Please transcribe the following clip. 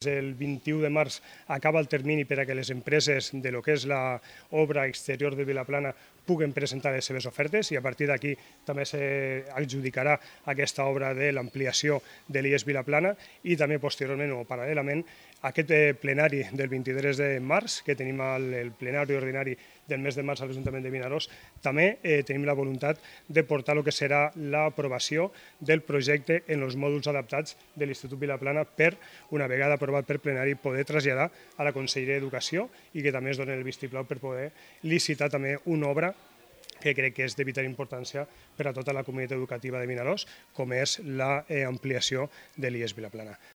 El 21 de març acaba el termini per a que les empreses de lo que és l'obra exterior de Vilaplana puguen presentar les seves ofertes i a partir d'aquí també s'adjudicarà aquesta obra de l'ampliació de l'IES Vilaplana i també posteriorment o paral·lelament aquest plenari del 23 de març, que tenim el plenari ordinari del mes de març a l'Ajuntament de Vinaròs, també tenim la voluntat de portar el que serà l'aprovació del projecte en els mòduls adaptats de l'Institut Vilaplana per, una vegada aprovat per plenari, poder traslladar a la Conselleria d'Educació i que també es doni el vistiplau per poder licitar també una obra que crec que és de vital importància per a tota la comunitat educativa de Vinaròs, com és l'ampliació de l'IES Vilaplana.